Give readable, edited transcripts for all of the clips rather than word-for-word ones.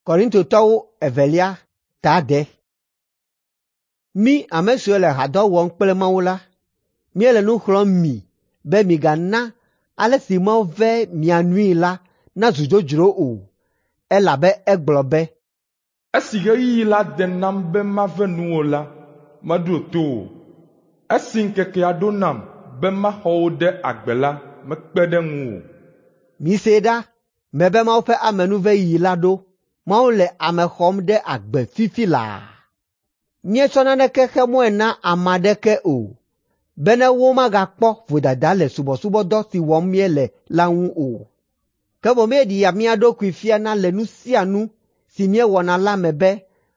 Korintotɔwo evelia ta 8. Mí ame siwo le hadɔ wɔm kple Mawu la, míele nu xlɔ̃m mi be migana ale si Mawu ve mia nui la nazu dzodzro o, elabe egblɔ be, “Esi ɣeyiɣi la de nam be mave nuwò la, meɖo to wò. Esi ŋkekea ɖo nam be maxɔ wò ɖe agbe la, mekpe ɖe ŋuwò.” Misee ɖa, mebe Mawu ƒe amenuveɣi la ɖo. Mawu le ame xɔm ɖe agbe fifi laa. Míetsɔ naneke xe mɔe na ame aɖeke o, bene womagakpɔ vodada le subɔsubɔdɔ si wɔm míele la ŋu o. Ke boŋ míeɖea mía ɖokui fiana le nu sia nu si míewɔna la me be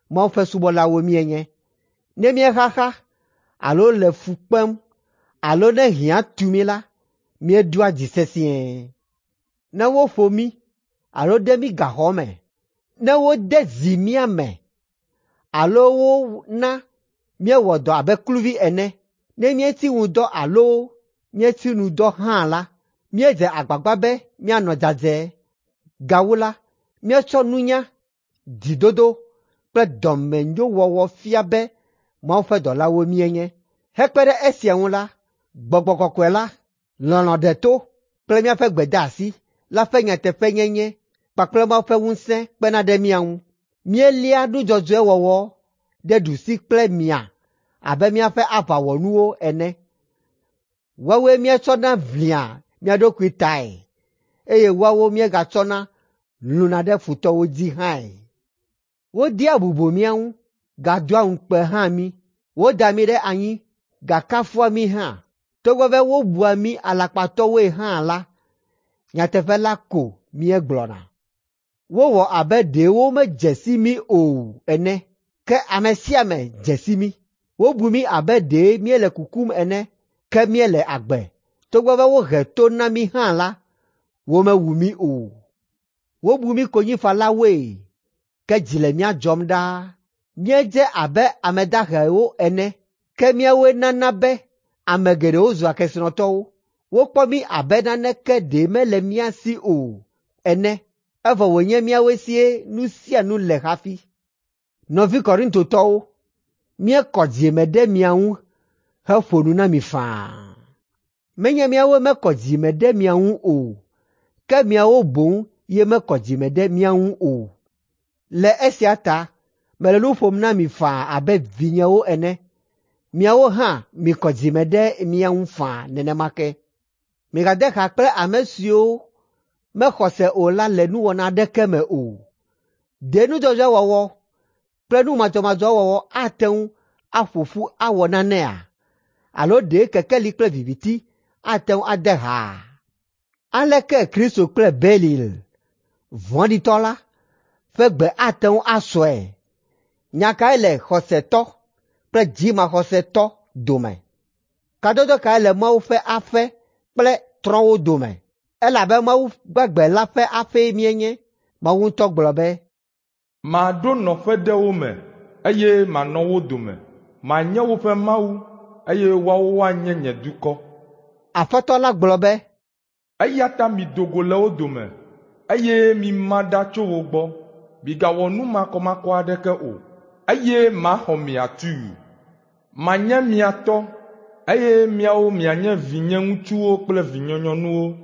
Mawu ƒe subɔlawo míenye. Ne míexaxa alo le fu kpem alo ne hiã tu mí la, míedoa dzi sesĩe. Ne woƒo mí alo de mí gaxɔ me, ne wode zi mía me alo wona míewɔ dɔ abe kluvi ene, ne míetsi ŋudɔ alo míetsi nu dɔ hã la, míedze agbagba be míanɔ dzadzɛ. Gawu la, míetsɔ nunya, dzidodo kple dɔmenyowɔwɔ fia be Mawu ƒe dɔlawo míenye. Hekpe ɖe esia ŋu la, Gbɔgbɔ Kɔkɔe la, lɔlɔ̃ deto kple míaƒe gbedeasi la ƒe nyateƒenyenye kpakple Mawu ƒe ŋusẽ kpena ɖe mía ŋu. Míelia nu dzɔdzɔe wɔwɔ ɖe ɖusi kple mia abe míaƒe aʋawɔnuwo ene. Woawoe míetsɔna ʋlia mía ɖokui tae, eye woawo míegatsɔna lũna ɖe futɔwo dzi hãe. Wodea bubu mía ŋu, gadoa ŋukpe hã mí. Wodaa mí ɖe anyi, gakafua mí hã. Togbɔ be wobua mí alakpatɔwoe hã la, nyateƒe la ko míegblɔna. Wowɔ abe ɖe womedze si mí o ene, ke ame sia ame dze si mí. Wobu mí abe ɖe míele kukum ene, ke míele agbe. Togbɔ be wohe to na mí hã la, womewu mí o. Wobu mí konyifalawoe, ke dzi le mía dzɔm ɖaa. Míedze abe ame dahewo ene, ke míawoe nana be ame geɖewo zua kesinɔtɔwo. Wokpɔ mí abe naneke ɖe mele mía si o ene, evɔ wònye míawoe sie nu sia nu le hafi. Nɔvi Korintotɔwo, míekɔ dzime ɖe mia ŋu heƒo nu na mi faa. Menye míawoe mekɔ dzime ɖe mia ŋu o, ke miawo boŋ ye mekɔ dzime ɖe mía ŋu o. Le esia ta mele nu ƒom na mi faa abe vinyewo ene. Miawo hã mikɔ dzime ɖe mía ŋu faa nenema ke. Migade ha kple ame siwo mexɔ se o la le nuwɔna aɖeke me o. Ɖe nu dzɔdzɔe wɔwɔ kple nu madzɔmadzɔ wɔwɔ ate ŋu aƒo ƒu awɔ nanea? Alo ɖe kekeli kple viviti ate ŋu ade haa? Aleke Kristo kple Belial, vɔ̃ɖitɔ la, ƒe gbe ate ŋu asɔe? Nya kae le xɔsetɔ kple dzimaxɔsetɔ dome? Kadodo kae le Mawu ƒe aƒe kple trɔ̃wo dome? Elabe Mawu gbagbe la ƒe aƒee míenye. Mawu ŋutɔ gblɔ be, “Maɖo nɔƒe ɖe wo me, eye manɔ wo dome. Manye woƒe Mawu, eye woawo woanye nye dukɔ.” Aƒetɔ la gblɔ be, “Eya ta mido go le wo dome, eye mima ɖa tso wo gbɔ. Migawɔ nu makɔmakɔ aɖeke o, eye maxɔ mi atuu. Manye mia tɔ, eye miawo mianye vinyeŋutsuwo kple vinyenyɔnuwo.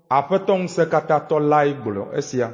Aƒetɔ Ŋusẽkatãtɔ lae gblɔ esia.”